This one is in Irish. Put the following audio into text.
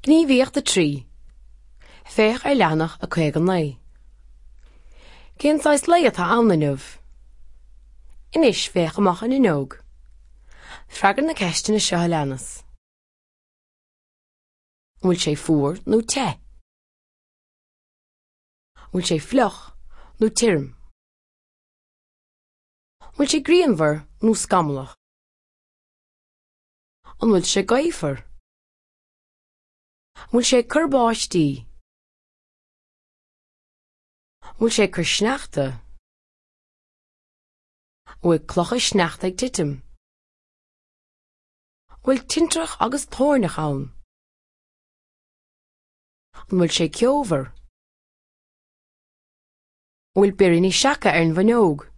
Gníomhaíocht 3. Féach ar leathanach 59. Cén saghas lae atá ann inniu? Anois féach amach an fhuinneog. Freagair na ceisteanna seo a leanas. An bhfuil sé fuar nó te? An bhfuil sé fliuch nó tirim? An bhfuil sé grianmhar nó scamallach? An bhfuil sé gaofar? An bhfuil sé ag cur báistí? An bhfuil sé ag cur sneachta? An bhfuil clocha sneachta ag titim? An bhfuil tintreach agus toirneach ann? An bhfuil sé ceomhar? An bhfuil biríní seaca ar an bhfuinneog?